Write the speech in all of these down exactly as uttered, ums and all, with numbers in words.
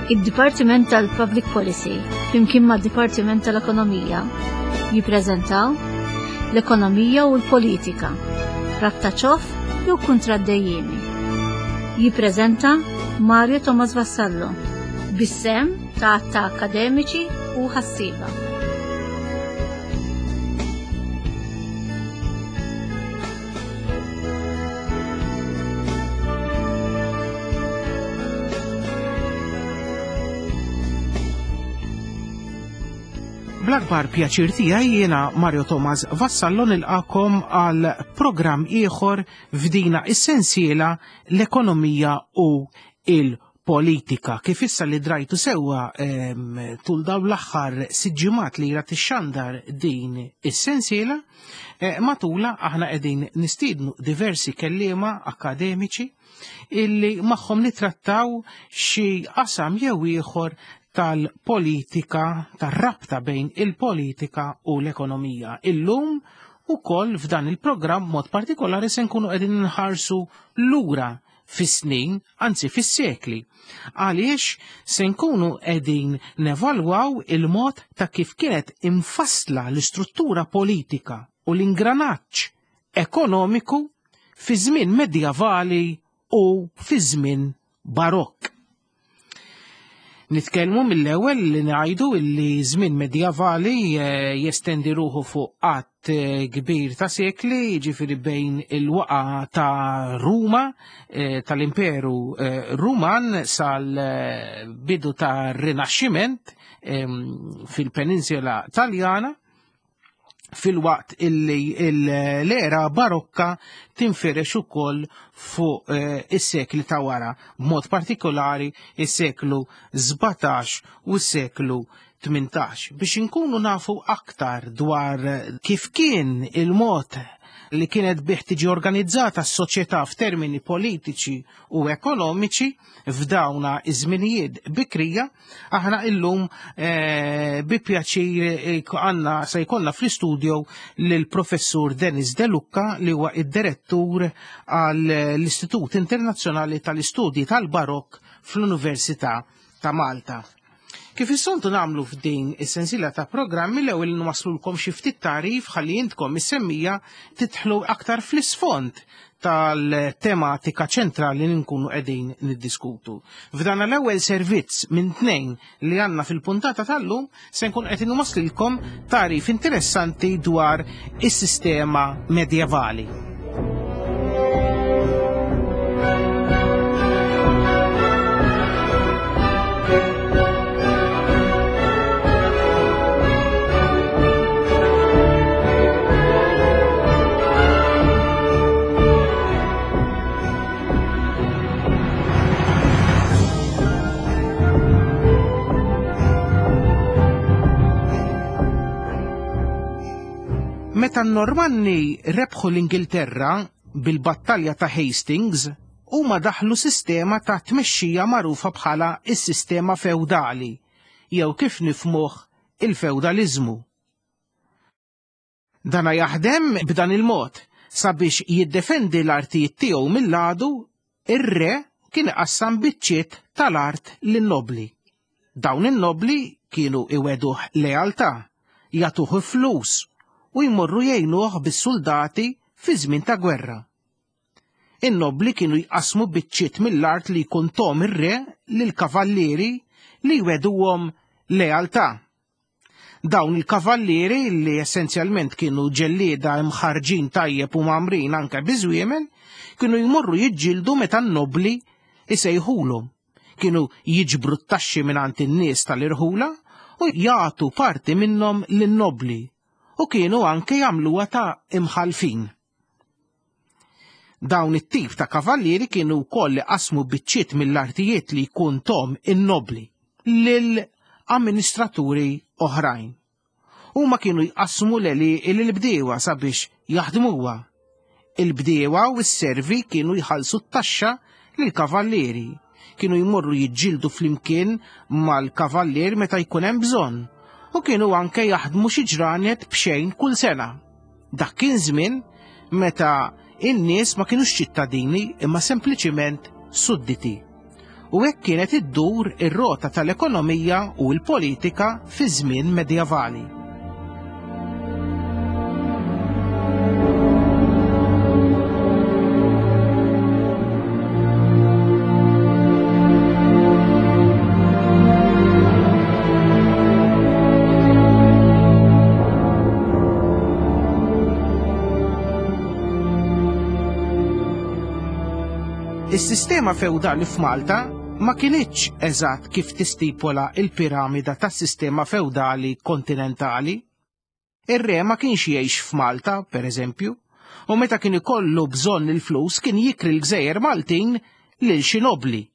Id-Dipartiment tal-Public Policy flimkien mad-Dipartiment tal-Ekonomija jippreżentaw l-ekonomija u l-politika, rabta ċoff jew kuntratt dejjiemi. Jippreżenta Mario Thomas Vassallo bis-sehem ta' ta' akademiċi u ħassieba. Bl-akbar pjaċir tiegħi jiena Mario Thomas Vassallo nilqakom għal programm ieħor f'dina is-sensiela l-ekonomija u il-politika. Kif issa li drajtu sewwa tul dawn l-aħħar sitt ġimgħat li ra tixxandar din is-sensiela, eh, matula aħna qegħdin nistiednu diversi kelliema akademiċi illi magħhom nitrattaw xi qasam jew ieħor tal-politika, tar-rabta bejn il-politika u l-ekonomija. Illum ukoll f'dan il-programm mod partikolari se nkunu qegħdin nħarsu lura fis-snin, anzi fis-sekli. Għaliex se nkunu qegħdin nevalwaw il-mod ta' kif kienet imfassla l-istruttura politika u l-ingranaġġ ekonomiku fi żmien medjavali u fi żmien barokk. Nitkellmu mill-ewwel li ngħidu li żmien medjavali eh, jestendi ruħu fuq qatt eh, kbir ta' sekli, jiġifieri bejn il-waqa ta' Ruma, eh, tal-Imperu Ruman sal-bidu ta' Rinaxximent ehm, fil-Peninsula Taljana, filwaqt illi l-era barokka tinfirex ukoll fuq eh, is-sekli ta' wara, b'mod partikolari is-seklu sbatax u s-seklu tmintax. Biex inkunu nafu aktar dwar kif kien il-mod li kienet bih tiġi organizzata s-soċjetà f'termini politiċi u ekonomiċi f'dawna iż-żminijiet bikrija, aħna illum, eh, bi pjaċir, eh, għandna se jkollna fl-istudio lill-professur Denis De Lucca li huwa id-direttur għall-Istitut Internazzjonali tal-Istudji tal-Barokk fl-Università ta' Malta. Kif is-soltu nagħmlu f'din is-sensiela ta' programmi, l-ewwel nwaslulkom xi ftit tagħrif ħalli intkom is-semmija tidħlu aktar fl-isfond tal-tematika ċentrali li nkunu qegħdin niddiskutu. F'dan l-ewwel servizz minn tnejn li għandna fil-puntata tal-lum se nkun qed inwaslilkom tagħrif interessanti dwar is-sistema medjevali. Meta n-Normanni rebħu l-Ingilterra bil-battalja ta' Hastings, huma daħlu sistema ta' tmexxija magħrufa bħala s-sistema feudali, jew kif nifmuh il-feudaliżmu. Dana jaħdem b'dan il-mod sabiex jiddefendi l-artijiet tiegħu mill-għadu, ir-re kien iqassam biċċiet tal-art lin-nobli. Dawn in-nobli kienu iweduh lealtà, jagħtuh flus u jmorru jgħinuh bis-soldati fi żmien ta' gwerra. In-nobli kienu jqasmu biċċiet mill-art li jkun tom ir-re lill-kavallieri li jweduhom lealtà. Dawn il-kavallieri li essenzjalment kienu ġellieda imħarġin tajjeb u mamrin anke biżwiemen, kienu jmorru jiġġieldu meta n-nobli isejħulhom. Kienu jiġbru t-taxxi mingħand in-nies tal-irħula u jagħtu parti minnhom lin-nobli u kienu anke jagħmluha ta' imħalfin. Dawn it-tip ta' kavallieri kienu wkoll qasmu biċċiet mill-artijiet li jkun tom in-nobli lil amministraturi oħrajn. Huma kienu jqassmu l-għelieqi lill-bdiewa sabiex jaħdmuha. Il-bdiewa u s-servi kienu jħallsu t-taxxa lill-kavallieri. Kienu jmorru jiġġieldu flimkien mal-kavallier meta jkun hemm bżonn u kienu anke jaħdmu xi ġranet b'xejn kull sena. Dak kien żmien meta in-nies ma kinux ċittadini imma sempliċiment sudditi. U hekk kienet iddur ir-rota tal-ekonomija u l-politika fi żmien medjevali. Is-sistema feudali f'Malta ma kinitx eżatt kif tistipola il-piramida tas-sistema feudali kontinentali. Ir-re ma kienx jgħix f'Malta, per eżempju, u meta kien ikollu bżonn il-flus kien jikri l-gżejjer Maltin lil xi nobli.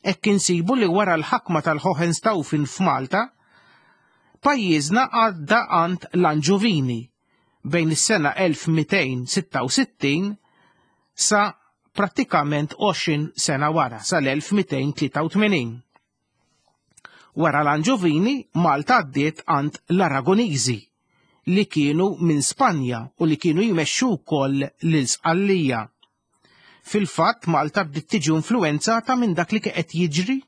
Hekk insibu li wara l-ħakma tal-Hohenstaufen f'Malta, pajjiżna għadda għand l-Anġuvini bejn is-sena elf mitejn sitta u sittin sa prattikament għoxrin sena wara, sal-elf mitejn tlieta u tmenin. Wara l-Anġuvini, Malta għaddiet għand l-Aragoniżi, li kienu minn Spanja u li kienu jmexxu wkoll lil Sqallija. Fil-fatt, Malta bdiet tiġi influenzata minn dak li qed jiġri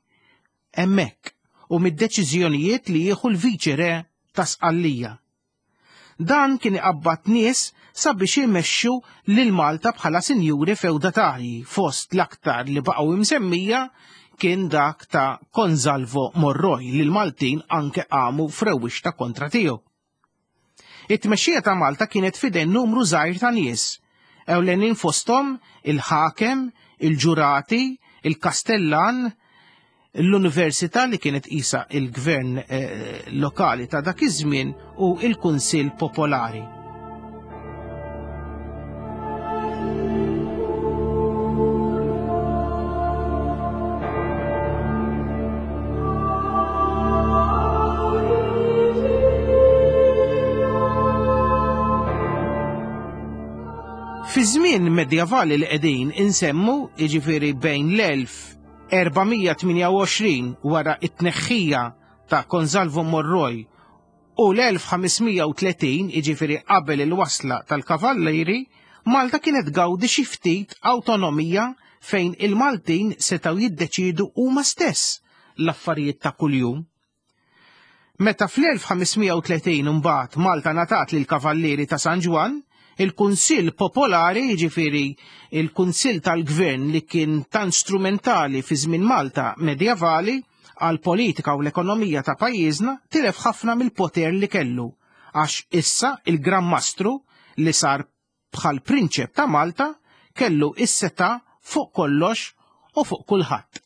hemmhekk u mid-deċiżjonijiet li jieħu l-viċi-re ta' Sqallija. Dan kien iqabbad nies sabiex imexxu lil Malta bħala sinjuri feudatarji, fost l-aktar li baqgħu imsemmija kien dak ta' Gonzalvo Morroy li l-Maltin anke qamu f'rewwixta kontra tiegħu. It-tmexxija ta' Malta kienet f'idejn numru żgħir ta' nies, ewlenin fosthom il-ħakem, il-ġurati, il-kastellan, l-università li kienet qisha il-gvern, eh, lokali ta' dak iż-żmien u il-Kunsill Popolari. Fi żmien medjevali li qegħdin insemmu, jiġifieri bejn l-elf erba' mija tmienja u għoxrin wara t-tneħħija ta' Gonzalvo Morroy u l-elf ħames mija u tletin, jiġifieri qabel il-wasla tal-Kavallieri, Malta kienet gawdi xi ftit awtonomija fejn il-Maltin setgħu jiddeċiedu huma stess l-affarijiet ta' kuljum. Meta fl-elf ħames mija u tletin imbagħad Malta ngħatat lill-Kavallieri ta' San Ġwann, il-Kunsill Popolari, jiġifieri il-Kunsill tal-Gvern li kien tant strumentali fi żmien Malta medjevali għal politika u l-ekonomija ta' pajjiżna, tilef ħafna mill-poter li kellu, għax issa il-Gran Mastru li sar bħal prinċep ta' Malta kellu is-seta' fuq kollox u fuq kulħadd.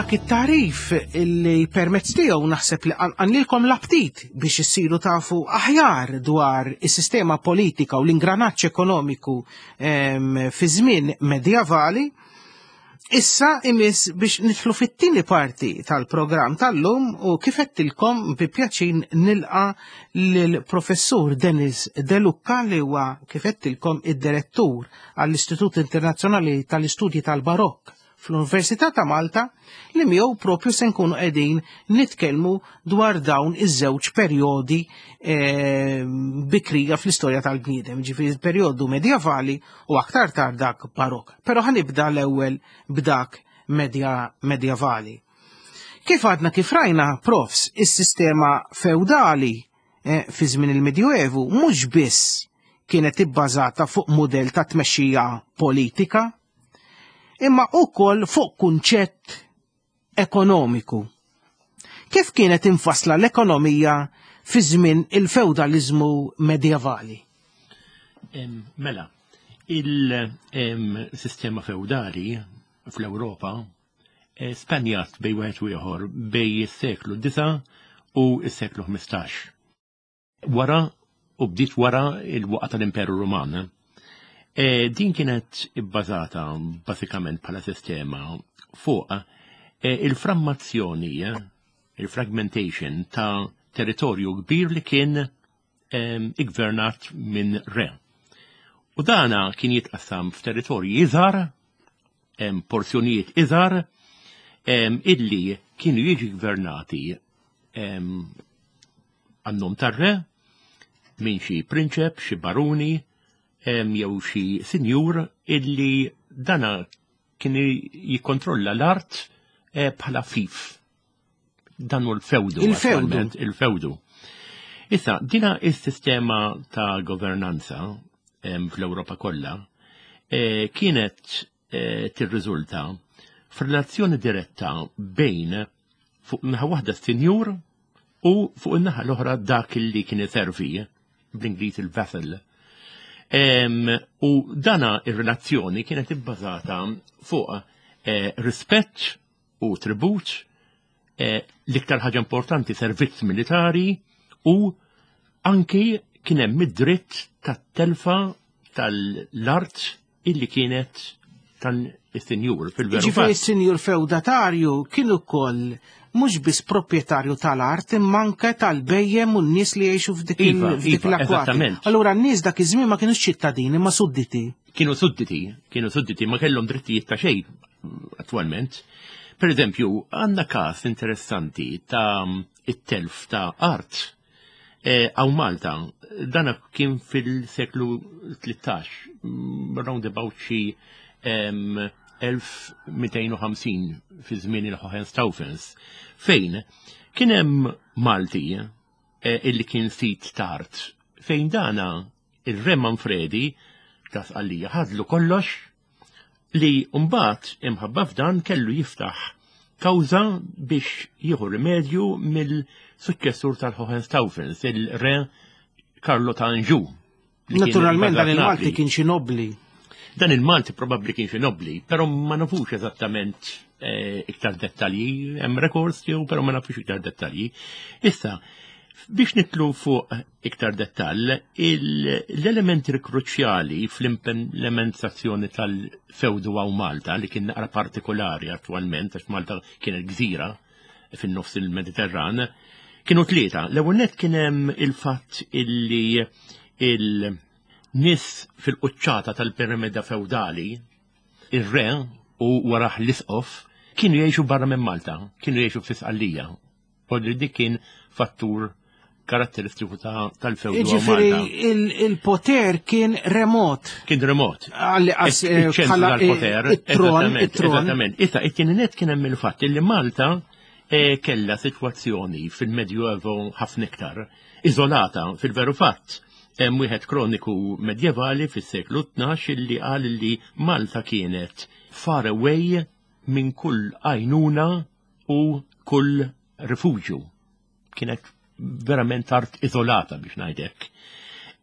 dak it-tarif li permezz tiegħu naħseb li qanqalnielkom l-aptit biex issiru tafu aħjar dwar is-sistema politika u l-ingranaġġ ekonomiku fi żmien medjavali. Issa imiss biex nidħlu fit-tieni parti tal-programm tal-lum u kif għedtilkom bi pjaċir nilqa' lill-professur Dennis De Lucca, li huwa, kif għedtilkom, id-direttur għall-Istitut Internazzjonali tal-Istudji tal-Barokk fl-Università ta' Malta, li miegħu propju se nkunu qegħdin nitkellmu dwar dawn iż-żewġ perjodi eh, bikrija fl-istorja tal-bniedem, ġifieri il-perjodu medjavali u aktar tard dak barok. Però ħa nibda l-ewwel b'dak medja medjavali. Kif għadna kif rajna, profs, is-sistema feudali eh, fi żmien il-Medjuevu mhux biss kienet ibbażata fuq mudell ta' tmexxija politika, imma ukoll fuq kunċett ekonomiku. Kif kienet infasla l-ekonomija fi żmien il-feudalizmu medjevali? Mela, il-sistema feudali fl-Ewropa eh, spanjat bejn wieħed u ieħor bejn is-seklu disa' u s-seklu ħmistax. Wara u bdiet wara il-waqgħa tal-Imperu Ruman. E, din kienet ibbażata basikament bħala sistema fuq e, il-frammazzjoni, il-fragmentation ta' territorju kbir li kien iggvernat minn re. U dana kien jitqassam f'territorji iżgħar, porzjonijiet iżgħar, illi kienu jiġi gvernati għan-nom tar-re minn xi prinċep, xi baruni, jew xi sinjur illi dana kien jikkontrolla l-art eh, bħala fief. Dan hu l-fewdu. Il-fewdu. Il-fewdu. Issa, dina is-sistema ta' governanza fl-Ewropa kollha eh, kienet eh, tirriżulta f'relazzjoni diretta bejn fuq naħa waħda s-sinjur u fuq in-naħa l-oħra dak li kien iservi, bl-Ingliż il-vassal. U dana ir-relazzjoni kienet ibbażata fuq eh, rispett u tribut, eh, l-iktar ħaġa importanti servizz militari, u anki kien hemm id-dritt tat-telfa tal-art illi kienet tan-sinjur fil-veru. Ġifieri s-sinjur feudatarju kien ukoll mhux biss proprjetarju tal-art, imma anke tal-bhejjem u n-nies li jgħixu f'dik Iva, f'dik iva, l-akwati. Eżattament. Allura n-nies dak iż-żmien ma kienux ċittadini ma sudditi. Kienu sudditi, kienu sudditi, ma kellhom drittijiet ta' xejn attualment. Per eżempju, għandna każ interessanti ta' it-telf ta' art hawn Malta, dana kien fil-seklu tlettax, mm, round about xi elf mitejn u ħamsin fi żmien il-Hohenstaufens, fejn kien hemm Malti eh, illi kien sid t'art, fejn dana il-Re Manfredi ta' Sqallija ħadlu kollox, li mbagħad imħabba f'dan kellu jiftaħ kawża biex jieħu rimedju mill-suċċessur tal-Hohenstaufens, il-Re Carlo ta' Anjou, li kien Naturalment dan ibbażat il-Malti Napli. kien xi nobli. Dan il-Malti probabbli kien xi nobli, però ma nafux eżattament eh, iktar dettalji, hemm records tiegħu, però ma nafux iktar dettalji. Issa, biex nidħlu fuq iktar dettall, l-elementi kruċjali fl-implementazzjoni tal-fewdu hawn Malta, li kien naqra partikolari attualment, għax Malta kienet gżira fin-nofs il-Mediterran, kienu tlieta. L-ewwel nett kien hemm il-fatt illi il-nies fil-quċċata tal-piramida feudali, ir-re u warah l-isqof, kienu jgħixu barra minn Malta, kienu jgħixu fi Sqallija. U dik kien fattur karatteristiku tal-fewdu. Ġifieri il-poter kien remot. Kien remot. Għalli qas Iċ-ċentru tal-poter. It-tron, it-tron. Eżattament. Issa, it-tieni nett kien hemm il-fatt illi Malta eh, kella sitwazzjoni fil-Medjuevo ħafna iktar iżolata fil-veru fatt. Hemm wieħed kroniku medjevali fis-seklu tnax illi qal li Malta kienet far away minn kull għajnuna u kull rifuġju. Kienet verament art iżolata, biex ngħidlek.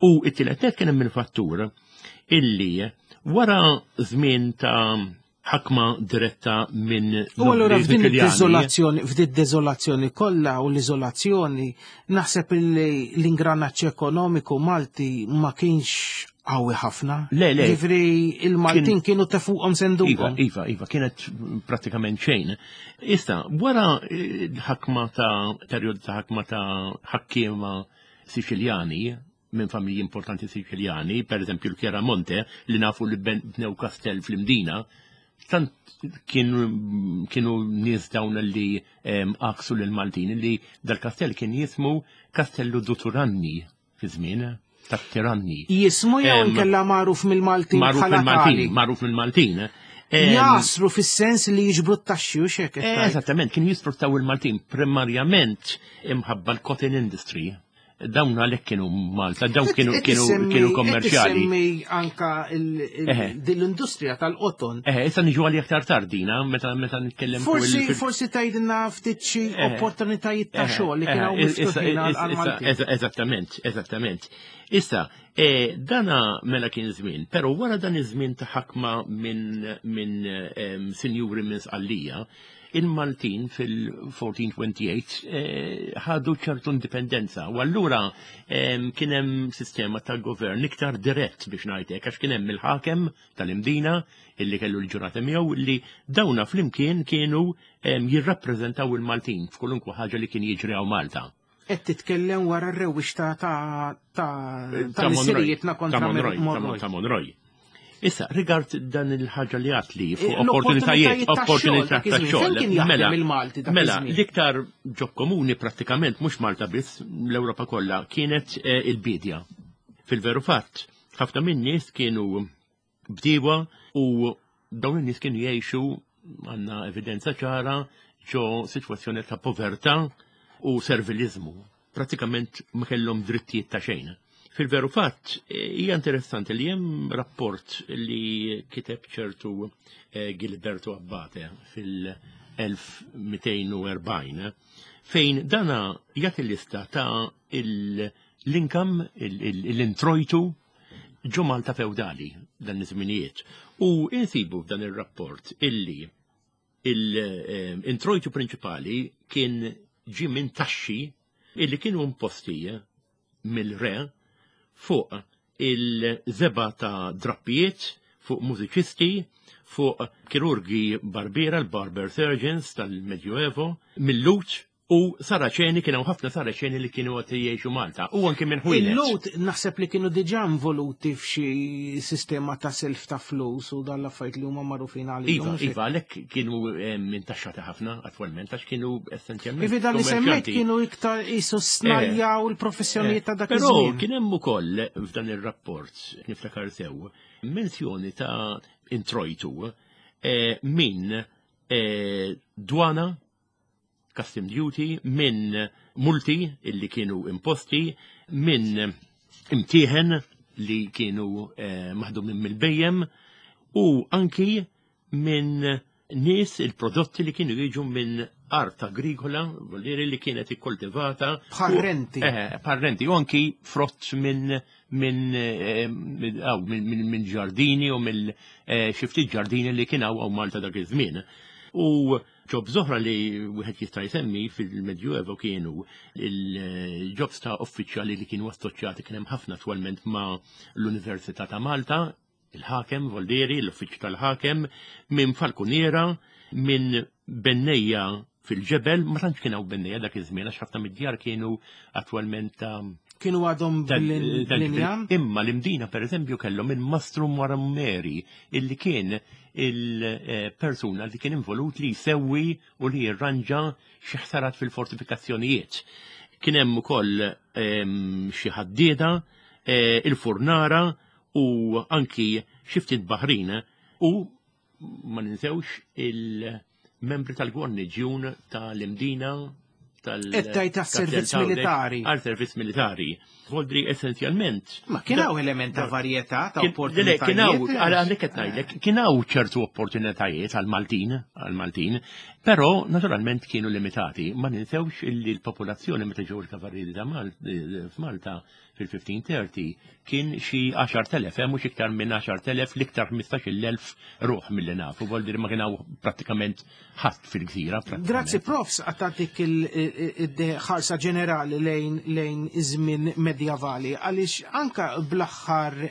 U it-tielet nett kien hemm il-fattur illi wara żmien ta' ħakma diretta minn U allura nobli f'din Siċiljani. id-deżolazzjoni, f'din id-deżolazzjoni kollha u l-iżolazzjoni, naħseb li l-ingranaġġ ekonomiku Malti ma kienx qawwi ħafna. Le, le. Ġifieri il-Maltin kienu tefuqhom Iva, senduqhom. iva, iva, kienet pratikament xejn. Issa, wara eh, l-ħakma ta' perjodu ta' ħakma ta' ħakkiema Siċiljani, minn familji importanti Siċiljani, per eżempju l-Chiaramonte, li nafu li ben- bnew kastell fl-Imdina, tant kienu, kienu nies dawn li em, għaksu l-Maltin, li dal-kastell kien jismu Castello du Turanni fi żmien ta' tiranni. Jismu jew Em, inkella magħruf mill-Maltin Magħruf bħala mill-Maltin, tali. magħruf mill-Maltin. Em, Jasru fis-sens li jiġbru t-taxxi u xek. Eh, Eżattament, kien jisfruttaw il-Maltin primarjament imħabba l-cotton industry. Dawn għalhekk kienu Malta, dawn kienu kienu kienu kommerċjali. Semmi anka il- il- Eħe. din l-industrija tal-qoton. Eh, issa niġu għalli aktar tardina, meta meta nitkellem fuq Forsi il- forsi tgħidilna ftit xi Eh. opportunitajiet ta' Eh, xogħol li eh, kienu issa- miftuħin għal issa- għal-Maltin. issa- Eżattament, eżattament. Issa, eh, dana mela kien żmien, però wara dan iż-żmien ta' ħakma minn min, em, sinjuri minn Sqallija, il-Maltin fil-elf erba' mija u tmenja u għoxrin eh, ħadu ċertu indipendenza u allura em, kien hemm sistema ta' govern iktar dirett biex ngħidlek għax kien hemm il-ħakem tal-Imdina illi kellu l-ġurata miegħu li dawna flimkien kienu em, jirrappreżentaw il-Maltin f'kolunkwe ħaġa li kien jiġri hawn Malta. Qed titkellem wara r-rewwix ta' ta' ta' Ta' Monroy. missirijietna kontra Ta' Monroy, ta' Monroy. Ta' Monroy. Issa, rigard dan il-ħaġa li għatli fuq Eh, opportunitajiet, l-opportunitajiet ta' xogħol opportunitajiet dak ta' iż-żmien. xogħol. Fejn kien jaħdem Mela, il-Malti dak Mela, iż-żmien? l-iktar job komuni prattikament, mhux Malta biss, l-Ewropa kollha, kienet eh, il-bidja. Fil-veru fatt, ħafna minn nies kienu bdiewa u dawn in-nies kienu jgħixu għandna evidenza ċara ġo sitwazzjoni ta' povertà u servilizmu. Pratikament ma kellhom drittijiet ta' xejn. Fil-veru fatt, eh, hija interessanti li hemm rapport li kiteb ċertu eh, Gilberto Abbate fil-elf mitejn u erbgħin fejn dana jagħti lista ta' il- l-income, l-introjtu ġo Malta feudali dan iż-żminijiet. U insibu f'dan ir-rapport illi il-introjtu prinċipali kien ġi minn taxxi illi kienu imposti mill-re fuq il-żebgħa ta' drappijiet, fuq mużiċisti, fuq kirurgi barbiera, l-barber surgeons tal-Medjuevo, mil-Lhud u Saraċeni, kienu ħafna Saraċeni li kienu għat jgħixu Malta. U anki minn ħwienet. Il-Lhud naħseb li kienu diġà involuti f'xi sistema ta' self ta' flus u dan l-affarijiet li huma magħrufin għalihom. Iva, mhux hekk? iva, għalhekk kienu eh, mintaxxati ħafna attwalment, għax kienu essenzjalment. Ivi dan li semmejt kummerċjanti. kienu iktar jisu snajja u l-professjonijiet ta' dak Però iż-żmien. kien hemm ukoll f'dan ir-rapport, niftakar sew, menzjoni ta' introjtu eh, minn eh, dwana, custom duty, minn multi illi kienu imposti, minn imtieħen li kienu eh, maħdumin mill-bhejjem u anki minn nies il-prodotti li kienu jiġu minn art agrikola, voliri li kienet ikkoltivata. Bħal renti. Eh, bħal renti, u anki frott minn minn eh, minn aw, minn minn- minn ġardini u mill eh, xi ftit ġardini li kien hawn Malta dak iż-żmien. U jobs oħra li wieħed jista' jsemmi fil-Medjuevo kienu il-jobs ta' uffiċjali li kienu assoċjati kien hemm ħafna attwalment ma' l-Università ta' Malta, il-ħakem Voldieri, l-uffiċċju tal-ħakem, minn falkuniera, minn bennejja fil-ġebel, ma tantx kien hawn bennejja dak iż-żmien għax ħafna mid-djar kienu attwalment ta' Kienu għadhom ta' ta' bl-injam. Imma l-Imdina per eżempju kellhom il-Mastru Marammeri illi kien il-persuna li kien involut li jsewwi u li jirranġa xi ħsarat fil-fortifikazzjonijiet. Kien hemm ukoll em, xi ħaddieda, eh, il-furnara u anki xi ftit baħrin u ma ninsewx il-membri tal-gwarniġjun tal-Imdina tal- Qed tgħid għas-servizz tal- militari. Għal servizz militari. Voldri essenzjalment. Ma kien hawn element ta' varjetà ta' Kien- le, Kien hawn, opportunitajiet. għal għalhekk qed ngħidlek, kien hawn ċertu opportunitajiet għal Maltin, għal Maltin, Però naturalment kienu limitati, ma ninsewx illi l-popolazzjoni meta ġew il-kavallieri ta' f'Malta fil-fifteen thirty kien xi għaxart elef, eh, mhux iktar minn għaxart elef, l-iktar ħmistax-il elf ruħ milli nafu, vuol dire ma kien hawn prattikament ħadd fil-gżira. Grazzi profs għattatik il-ħarsa ġenerali lejn lejn iż-żmien medjavali, għaliex anka bl-aħħar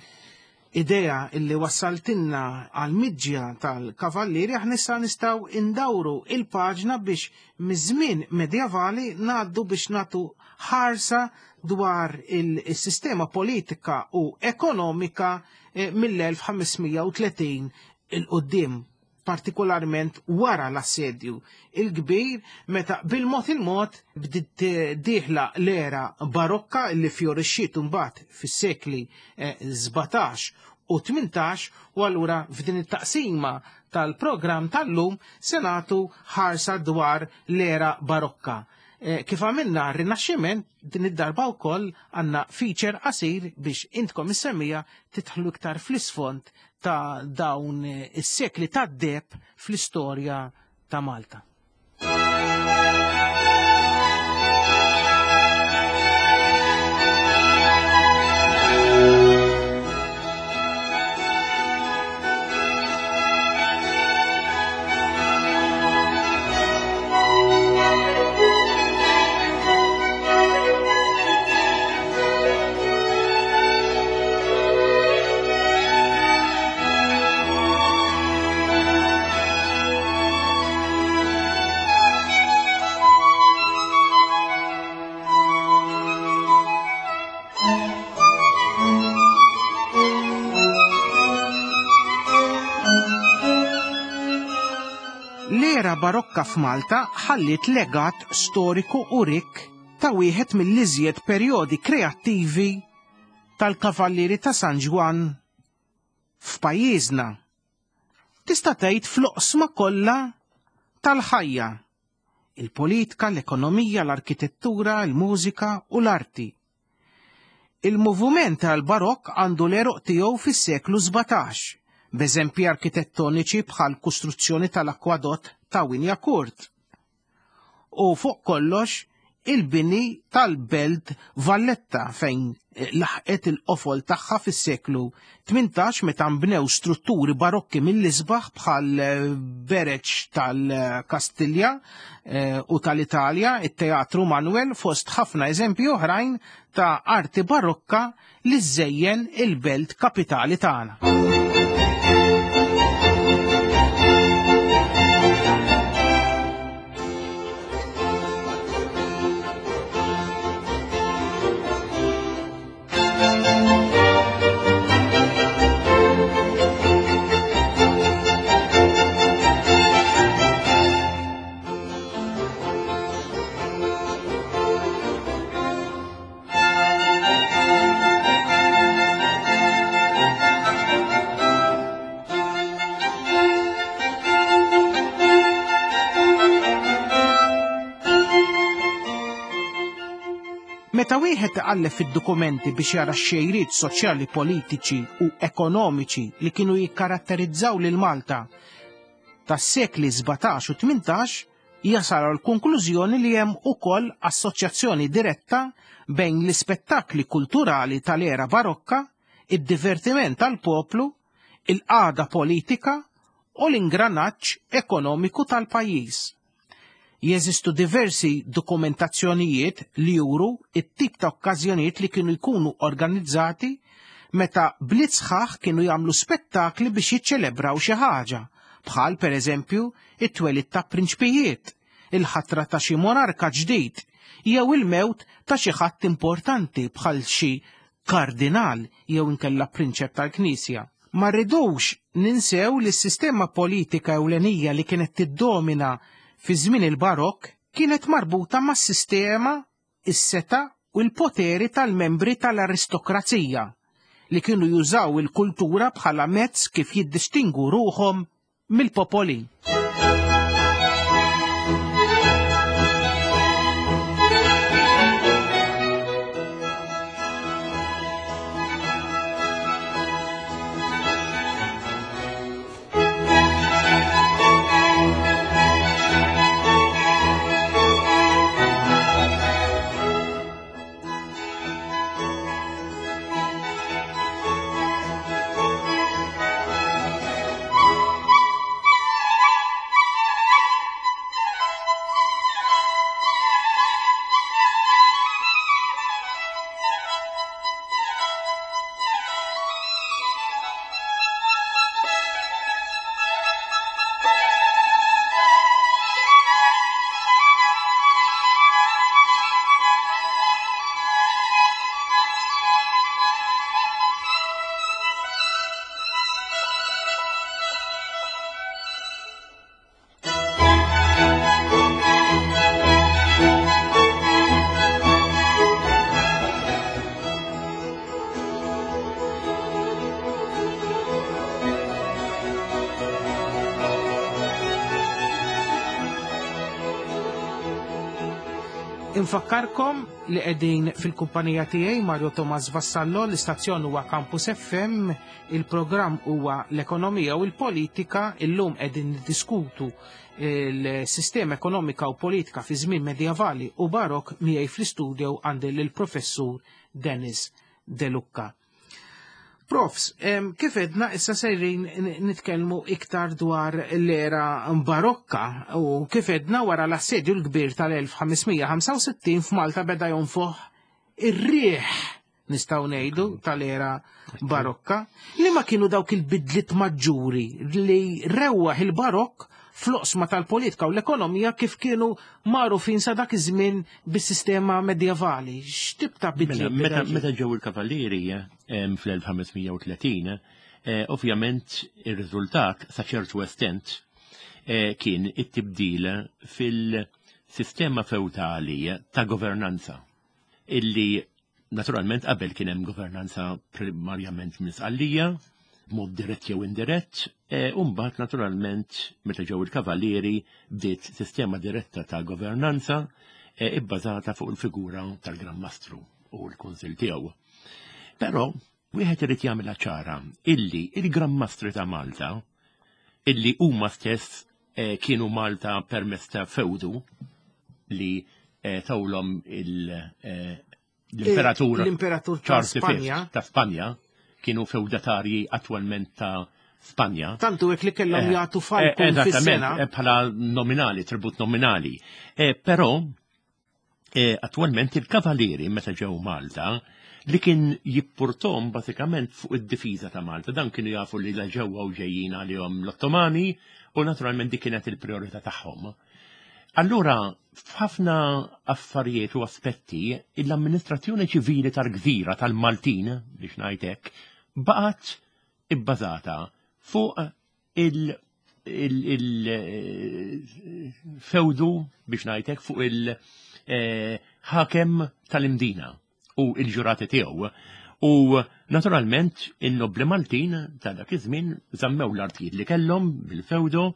idea illi wassaltinna għal-midġja tal-kavallieri, aħna issa nistgħu indawru il-paġna biex miż-żmien medjavali ngħaddu biex nagħtu ħarsa dwar il-sistema politika u ekonomika eh, mill-elf ħamesmija u tletin il-qoddim, partikolarment wara l-assedju il-kbir, meta bil-mod il-mod bdiet dieħla l-era barokka li fjorixxiet imbagħad fis-sekli, eh, sbatax u tmintax, u allura f'din it-taqsima tal-programm tal-lum se nagħtu ħarsa dwar l-era barokka. Eh, kif għamilna r-Rinaxximent, din id-darba wkoll għandna feature qasir biex intkom is-semmija tidħlu iktar fl-isfond ta' dawn is-sekli tad-deheb fl-istorja ta' Malta. L-era barokka f'Malta ħalliet legat storiku u rikk ta' wieħed mill-iżjed perjodi kreattivi tal-Kavallieri ta' San Ġwann f'pajjiżna. Tista' tgħid fl-oqsma kollha tal-ħajja: il-politika, l-ekonomija, l-arkitettura, il-mużika u l-arti. Il-moviment tal-barokk għandu l-eruq tiegħu fis-seklu sbatax, b'eżempji arkitettoniċi bħal kostruzzjoni tal-akwadott ta' Wignacourt. U fuq kollox il-bini tal-Belt Valletta fejn laħqet il-qofol tagħha fis-seklu tmintax meta nbnew strutturi barokki mill-isbaħ bħal bereġ tal-Kastilja, eh, u tal-Italja, it-Teatru Manuel, fost ħafna eżempji oħrajn ta' arti barokka li żejjen il-belt kapitali tagħna. Meta wieħed iqalleb fid-dokumenti biex jara x-xejriet soċjali, politiċi u ekonomiċi li kienu jikkaratterizzaw lil Malta tas-sekli sbatax u tmintax, jasal għal konklużjoni li hemm ukoll assoċjazzjoni diretta bejn l-ispettakli kulturali tal-era barokka, id-divertiment tal-poplu, il-qagħda politika u l-ingranaġġ ekonomiku tal-pajjiż. Jeżistu diversi dokumentazzjonijiet li juru it-tip ta' okkażjonijiet li kienu jkunu organizzati meta bliet sħaħ kienu jagħmlu spettakli biex jiċċelebraw xi ħaġa, bħal pereżempju it-twelid ta' prinċpijiet, il-ħatra ta' xi monarka ġdid, jew il-mewt ta' xi ħadd importanti bħal xi kardinal jew inkella prinċep tal-Knisja. Ma rridux ninsew li s-sistema politika ewlenija li kienet tiddomina fi żmien il-barokk kienet marbuta mas-sistema, is-seta u l-poteri tal-membri tal-aristokrazija li kienu jużaw il-kultura bħala mezz kif jiddistingu ruħhom mill-popoli. Infakkarkom li qegħdin fil-kumpanija tiegħi Mario Thomas Vassallo, l-istazzjon huwa Campus F M, il-programm huwa L-Ekonomija u l-Politika, illum qegħdin niddiskutu il-sistema ekonomika u politika fi żmien medjevali u barok. Miegħi fl-istudio għandi lill-professur Dennis De Lucca. Profs, kif edna, issa sejrin nitkellmu iktar dwar l-era barokka u kif edna, wara l-assedju l-kbir tal-elf ħames mija ħamsa u sittin f'Malta beda jonfoħ ir-riħ, nistgħu ngħidu, tal-era barokka. Li ma kienu dawk il-bidliet maġġuri li rewwaħ il-barokk fl-oqsma tal-politika u l-ekonomija kif kienu magħrufin sa dak iż-żmien bis-sistema medjevali? X'tip ta' bidliet? Mela, meta ġew il-kavallieri fl-elf ħames mija u tletin, eh, ovvjament ir-riżultat sa ċertu estent eh, kien it-tibdil fil-sistema feudali ta' governanza illi naturalment qabel kien hemm governanza primarjament minn Sqallija, mod dirett jew indirett, e, u mbagħad naturalment meta ġew il-kavallieri bdiet sistema diretta ta' governanza e, ibbażata fuq il-figura tal-Gran Mastru u l-Kunsil tiegħu. Però wieħed irid jagħmilha ċara illi il-Gran Mastri ta' Malta, illi huma stess e, kienu Malta permezz ta' feudu li e, tawlhom il- e, l-imperatur L-imperatur ta' Charles V Spanja. Ta' Spanja, kienu feudatarji attualment ta' Spanja. Tantu hekk li kellhom Eh, jagħtu eh, falkun Eżattament, fis-sena. eh, bħala nominali, tribut nominali. Eh, Però, eh, attualment il-kavallieri meta ġew Malta li kien jippurtom basikament fuq id-difiża ta' Malta. Dan kienu jafu li la ġewwa u ġejjin għalihom l-Ottomani u naturalment dik kienet il-priorità tagħhom. Allura, f'ħafna affarijiet u aspetti, l-amministrazzjoni ċivili tal-gżira tal-Maltin, biex ngħidlek, baqgħet ibbażata fuq il- il-feudu, biex ngħidlek, fuq il-ħakem tal-Imdina u il-ġurati tiegħu. U naturalment in-nobli Maltin ta' dak iż-żmien żammew l-artijiet li kellhom bil-feudo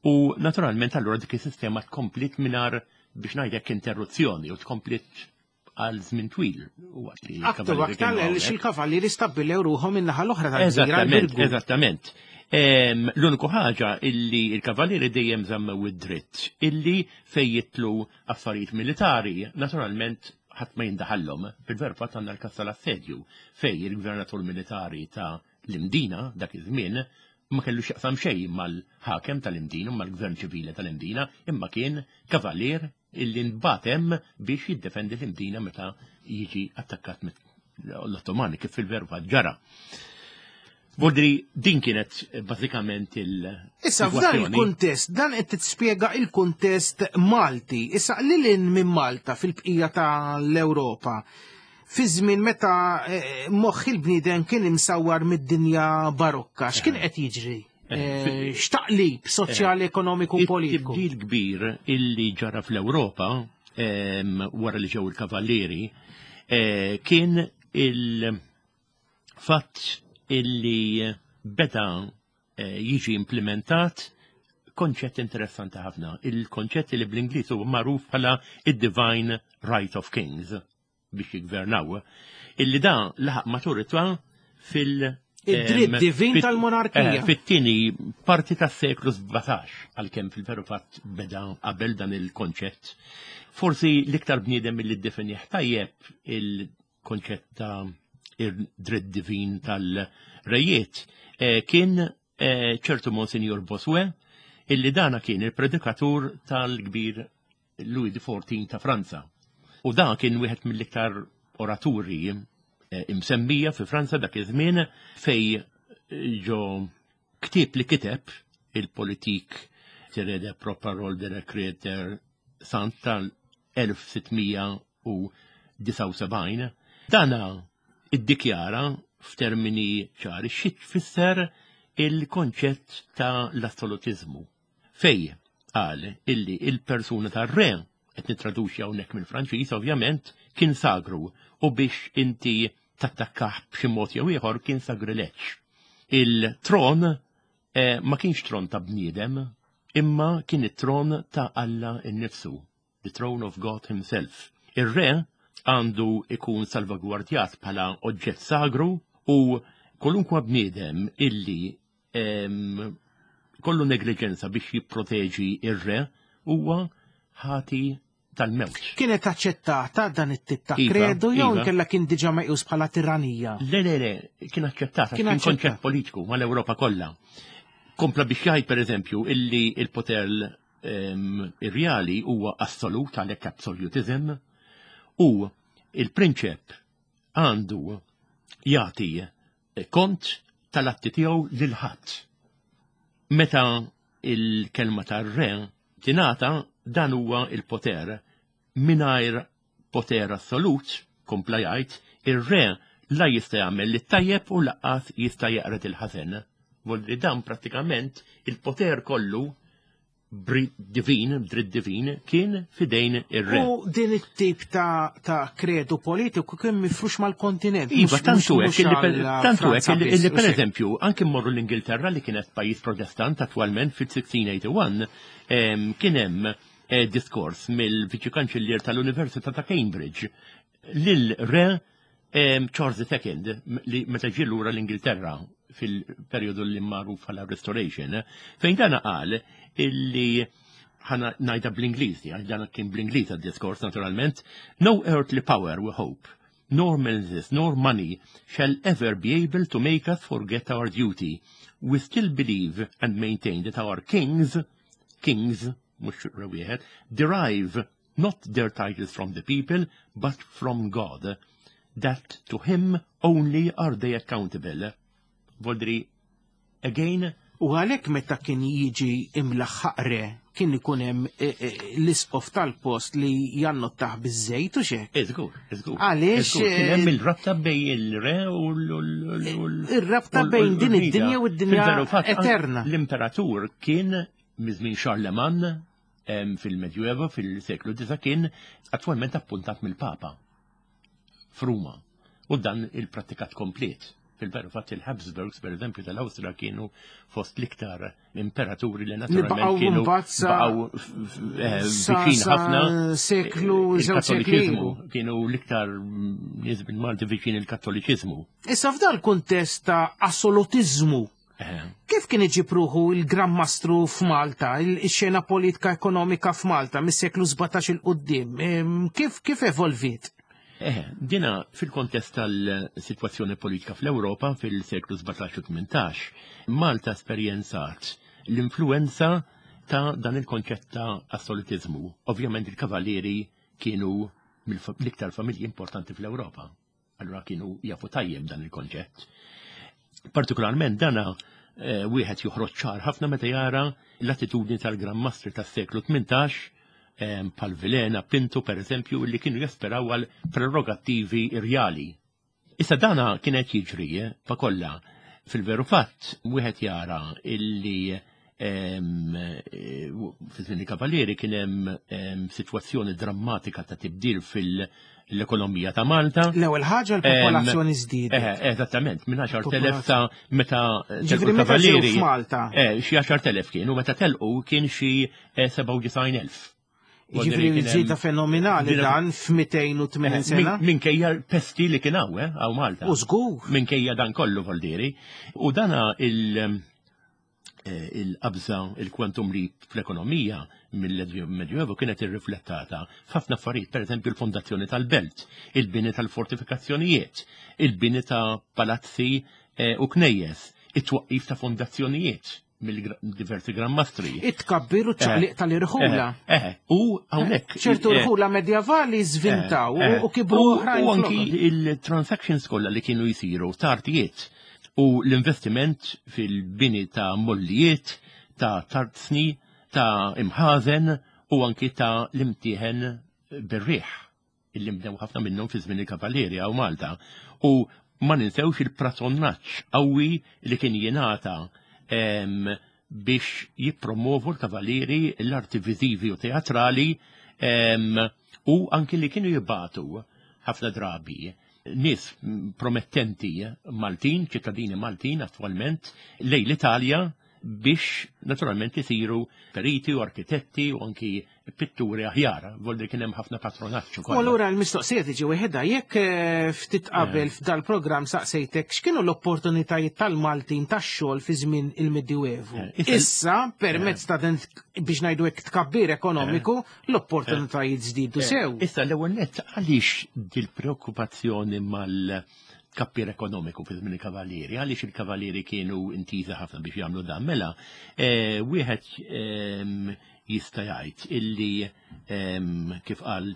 u naturalment allura dik is-sistema tkomplit mingħajr, biex ngħidlek, interruzzjoni u tkomplit għal żmien twil waqt li Aktar l-kavallieri aktar kienu għaliex hawnhekk. il-kavallieri stabbilew ruħhom in-naħa l-oħra tal-gżira, Eżattament, l-Birgu. Eżattament. Em, L-uniku ħaġa illi il-kavallieri dejjem żammew id-dritt illi fej jitlu affarijiet militari, naturalment ħadd ma jindaħallhom. Fil-veru fatt għandna l-kas tal-assedju fej il-gvernatur militari ta' l-Imdina dak iż-żmien ma kellu x'jaqsam xejn mal-ħakem tal-Imdina, mal-gvern ċivili tal-Imdina, imma kien kavallier illi nbatem biex jiddefendi l-Imdina meta jiġi attakkat l-Ottomani, kif fil-veru fatt ġara. Voldri, din kienet bażikament il- Issa, f'dan sitwazzjoni. il-kuntest, dan qed tispjega il-kuntest Malti. Issa, lil minn Malta, fil-bqija tal-Ewropa, fi żmien meta eh, moħħ il-bniedem kien imsawwar mid-dinja barokka, x'kien qed jiġri? Eh, X'taqlib soċjali, ekonomiku, politiku? Il-tibdil kbir illi ġara fl-Ewropa em, wara li ġew il-kavallieri eh, kien il-fatt illi beda eh, jiġi implementat konċett interessanti ħafna. Il-konċett li bl-Ingliż huwa magħruf bħala id-Divine Right of Kings biex jiggvernaw. Illi da laħaq maturità fil- Id-dritt em, divin fit- tal-monarkija. eh, Fit-tieni parti tas-seklu sbatax, għalkemm fil-veru fatt beda qabel dan il-konċett. Forsi l-iktar bniedem li ddefinih tajjeb il-konċett ta' id-dritt divin tal-rejiet eh, kien eh, ċertu Monsignor Bossuet, illi dana kien il-predikatur tal-kbir Louis the Fourteenth ta' Franza. U dan kien wieħed mill-iktar oraturi eh, imsemmija fi Franza dak iż-żmien, fej ġo ktieb li kiteb, il-Politik tiré des Paroles de le Créateur Sant tal-elf sitt mija u disgħa u sebgħin, dana iddikjara f'termini ċari xi tfisser il-konċett ta' l-assolutizmu. Fej qal illi il-persuna tar-re, qed nitraduċi hawnhekk mill-Franċiż ovvjament, kien sagru u biex inti tattakkah b'xi mod jew ieħor kien sagrileġġ. Il-tron eh, ma kienx tron ta' bniedem, imma kien it-tron ta' Alla innifsu, the throne of God himself. Ir-re għandu ikun salvagwardjat bħala oġġett sagru u kwalunkwe bniedem illi em, kollu negliġenza biex jipproteġi ir-re huwa ħati tal-mewt. Kienet aċċettata dan it-tip ta' Iva, kredu jew iva. inkella kien diġà meqjus bħala tiranija? Le, le, le, kien aċċettata, Kien kien aċċettat. konċett politiku mal-Ewropa kollha. Kompla biex jgħid, per eżempju, illi il-poter em, irjali huwa assolut, għalhekk absolutism, u il-prinċep għandu jagħti kont tal-atti tiegħu lil ħadd. Meta il-kelma tar-re tingħata, dan huwa il-poter mingħajr poter assolut, kompla jgħid, ir-re la jista' jagħmel lit-tajjeb u lanqas jista' jeqred il-ħażen. Vuol dan prattikament il-poter kollu bri- divin, dritt divin, kien fidejn ir-re. U din it-tip ta', ta' kredu politiku kien mifrux mal-kontinent. Iva, mhux- tantu mhux- hekk illi mhux per- għal tantu hekk Franza illi biss, illi per u xejn. eżempju, anke mmorru l-Ingilterra li kienet pajjiż protestant attwalment fil-sixteen eighty-one em, kien hemm eh, diskors mill-Viċi Kanċellier tal-Università ta' Cambridge lil re em, Charles the Second li meta ġie lura l-Ingilterra fil-perjodu li magħruf bħala Restoration, eh, fejn dana qal illi, ħa ngħidha bl-Ingliż, għax dan kien bl-Ingliż għad-diskors naturalment: "No earthly power, we hope, nor menaces, nor money shall ever be able to make us forget our duty. We still believe and maintain that our kings, kings, mhux wieħed, derive not their titles from the people, but from God, that to him only are they accountable." Voldri, again, U għalhekk meta kien jiġi imlaħħaq re, kien ikun hemm eh, eh, l-isqof tal-post li jannottah biż-żejt u xek. Iżgur, iżgur. Għaliex, Iżgur, kien hemm eh, il-rabta bejn il-re u l- u l- u l- Ir-rabta u l- bejn u din l-bnida. id-dinja u d-dinja Fil-veru fatt, anke eterna. L-imperatur kien miż-żmien Charlemagne em, fil-Medjuevo, fil-seklu disa, kien attwalment appuntat mill-Papa f'Ruma. U dan il-prattikat komplet. Fil-veru fatt il-Habsburgs, per eżempju, tal-Awstra kienu fost l-iktar imperaturi li naturalment baqgħu kienu mbagħad sa- baqgħu f- f- eh, sa- viċin sa ħafna seklu, żewġ sekli il-Kattoliċiżmu. ilu. Kienu l-iktar mm, nies bil-Malti viċin il-Kattoliċiżmu. Issa f'dal kuntest ta' assolutizmu, Eh, kif kien iġib ruħu il-Gran Mastru f'Malta, il-xena politika ekonomika f'Malta mis-seklu sbatax 'il quddiem? Em, Kif kif evolviet? Eh, dina fil-kontest tal-situazzjoni politika fl-Europa fil-seklu sbatax u tmintax, Malta esperjenzat l-influenza ta' dan il-konċett ta' assolutizmu. Ovvjament il-kavallieri kienu mill-iktar familji importanti fl-Europa. Allura kienu jafu tajjeb dan il-konċett. Partikolarment dana eh, wieħed joħroġ ċar ħafna meta jara l-attitudni tal-Gran Mastri tas-seklu tmintax em, bħal Vilhena, Pinto per eżempju, li kienu jasperaw għal prerogattivi irjali. Issa dana kienet jiġri eh, pa kollha. Fil-veru fatt, wieħed jara illi em, eh, fi żmien il-Kavallieri kien hemm em, sitwazzjoni drammatika ta' tibdil fil-ekonomija ta' Malta. L-ewwel ħaġa l-popolazzjoni żdiedet. Eh, eżattament, minn għaxart elef ta' meta telqu Ġifieri meta ġew l-Kavallieri. f'Malta. Eh, xi għaxart elef kienu, meta telqu kien xi eh, sebgħa u disgħin elf. Ġifieri żieda fenomenali dan f'mitejn u tmenin sena. Minkejja pesti li kien hawn, eh, hawn Malta. U żgur. Minkejja dan kollu, voldiri. U dana il- eh, il-qabża, il-quantum leap fl-ekonomija mill-Medjuevo kienet irriflettata f'ħafna affarijiet, per eżempju l-fondazzjoni tal-belt, il-bini tal-fortifikazzjonijiet, il-bini ta' palazzi eh, u knejjes, it-twaqqif ta' fondazzjonijiet mill-diversi Gran Mastri. It-tkabbir u ċaqliq tal-irħula. Eh, eh, u hawnhekk. ċertu eh, rħula medjavali żvintaw Eh, eh. u kibru U- oħrajn. U anki flokhom. il-transactions kollha li kienu jisiru ta' artijiet u l-investiment fil-bini ta' mollijiet, ta' tarzni, ta' imħazen u anki ta' l-imtieħen bir-riħ illi mbnew ħafna minnhom fi żmien il-Kavallieri hawn Malta. U ma ninsewx il-patronaġġ qawwi li kien jingħata em, biex jippromovu l-Kavallieri l-arti viżivi u teatrali em, u anki li kienu jibagħtu ħafna drabi nies promettenti Maltin, ċittadini Maltin attualment, lejn l-Italja. Biex naturalment isiru periti u arkitetti u anki pitturi aħjar, voldi kien hemm ħafna patronaġġ ukoll. U allura l-mistoqsija tiġi wieħedha, jekk eh, ftit qabel eh. f'dal-programm saqsejtek x'kienu l-opportunitajiet tal-Maltin tax-xogħol fi żmien il-Medjuevu. Eh, issa permezz ta' din biex ngħidu hekk tkabbir ekonomiku, l-opportunitajiet żdiedu sew. Issa l-ewwel nett, għaliex dil-preokkupazzjoni mal tkabbir ekonomiku fi żmien il-Kavallieri, għaliex il-Kavallieri kienu intiża ħafna biex jagħmlu dan? Mela, eh, wieħed ehm, jista' jgħid illi ehm, kif qal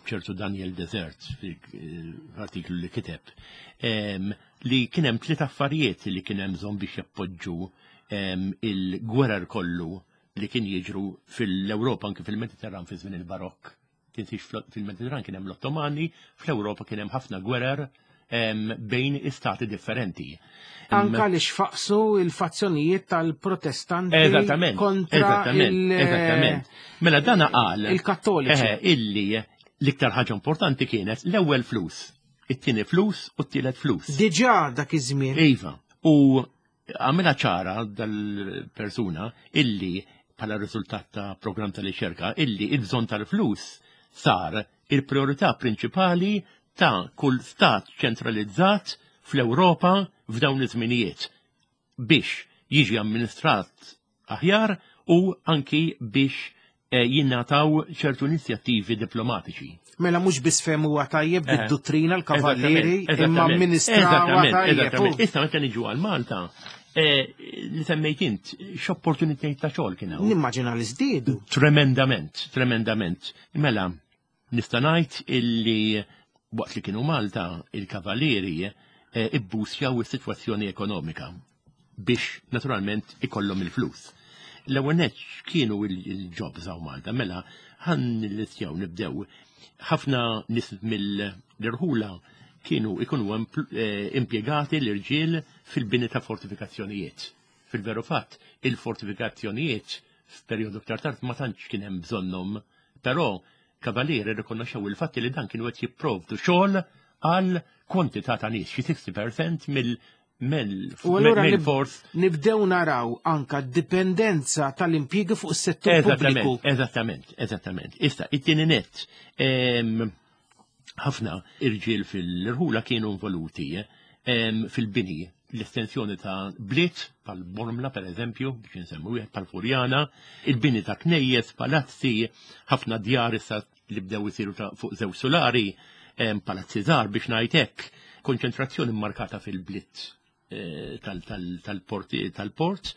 ċertu Daniel Desert fil-artiklu li kiteb, ehm, li kien hemm tliet affarijiet li kien hemm bżonn biex jappoġġu il-gwerer kollu li kien jiġru fil-Ewropa, anke fil-Mediterran fi żmien il-Barokk. Tinsiex, fil-Mediterran kien hemm l-Ottomani, fl-Ewropa kien hemm ħafna gwerer bejn istati differenti. Anka li xfaqsu il-fazzjonijiet tal-Protestanti eżattament, kontra eżattament, eżattament. Mela dana qal il-Kattoliċi. Eh, illi l-iktar ħaġa importanti kienet l-ewwel flus, it-tieni flus u t-tielet flus. Diġà dak iż-żmien. Iva. U għamilha ċara dal-persuna illi bħala riżultat ta' programm tal-riċerka illi il-bżonn tal-flus sar il-priorità prinċipali ta' kull stat ċentralizzat fl-Ewropa f'dawn iż-żminijiet biex jiġi amministrat aħjar u anki biex eh, jinnataw ċertu inizjattivi diplomatiċi. Mela mhux biss fehmuha tajjeb eh, bid-dottrina l-kavallieri, imma amministrawha tajjeb. Issa meta niġu għal Malta, eh, li semmejt int, x'opportunitajiet ta' xogħol kien hawn? Nimmaġina li żdiedu. Tremendament, tremendament. Mela, nista' ngħid illi waqt li kienu Malta, il-kavallieri eh, ibbusjaw is-sitwazzjoni ekonomika biex naturalment ikollhom il-flus. L-ewwel nett, kienu il-jobs hawn Malta? Mela ħa nillistjaw, nibdew. Ħafna nies mill-irħula kienu ikunu eh, impjegati l-irġiel fil-bini ta' fortifikazzjonijiet. Fil-veru fatt, il-fortifikazzjonijiet f'perjodu aktar tard ma tantx kien hemm bżonnhom, però kavalieri rikonoxxew il-fatti li dan kienu qed jipprovdu xogħol għal kwantità ta' nies, xi sittax fil-mija mill U allura nib- mill-fors. Nibdew naraw anka dipendenza tal-impjiegi fuq is-settur pubbliku. Eżattament, eżattament, eżattament. Issa, it-tieni net, em, ħafna irġiel fil-irħula kienu involuti em, fil-bini, l-estensjoni ta' bliet, bħal Bormla per eżempju, biex nsemmu wieħed, bħal Furjana, il-bini ta' knejjes, palazzi, ħafna djar issa li bdew isiru ta' fuq żewġ solari, em, palazzi żgħar biex ngħid hekk, konċentrazzjoni markata fil-bliet eh, tal-port tal-port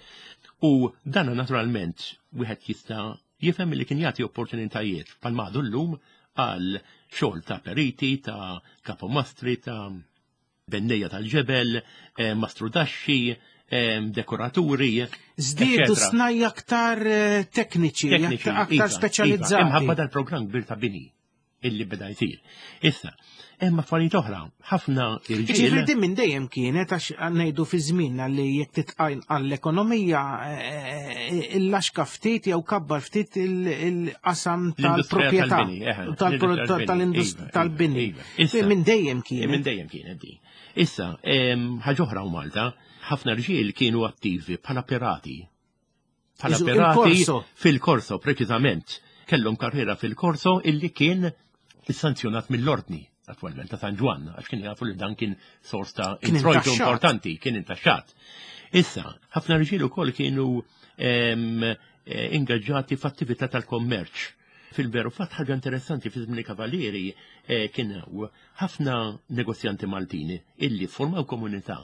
u dan naturalment wieħed jista' jifhem li kien jagħti opportunitajiet bħal m'għadu llum għal xogħol ta' periti, ta' kapomastri, ta' bennejja tal-ġebel, eh, mastrudaxxi, eh, dekoraturi. Żdiedu eccetera. Snajja aktar eh, tekniċi, Tekniċi, aktar iva, speċjalizzati. Iva, imħabba dal-programm kbir ta' bini illi beda jsir. Issa, hemm affarijiet oħra, ħafna Ġifieri irġiel. din minn dejjem kienet, għax ngħidu fi żmienna li jekk titqajn għall-ekonomija eh, il-laxka ftit jew kabbar ftit il- il-qasam L-industrija tal-proprjetà tal-bini, eħe, tal- l-industrija tal-indust- tal-bini, iva, tal-bini. iva, iva. Issa- Minn dejjem Minn kienet. dejjem kienet di. Issa, em, ħaġa oħra u Malta, ħafna rġiel kienu attivi bħala pirati. Bħala Iżu, pirati il-Korso. fil-Korso, preċiżament. Kellhom karriera fil-Korso illi kien sanzjonat mill-ordni attualment ta' San Ġwann, għax kien jafu li dan kien sors ta' Kien introjtu intaxxat. importanti, kien intaxxat. Issa, ħafna rġiel ukoll kienu em, eh, ingaġġati f'attività tal-kommerċ. Fil-veru fatt, ħaġa interessanti, fi żmien il-Kavalieri eh, kien hawn ħafna negozjanti Maltini illi formaw komunità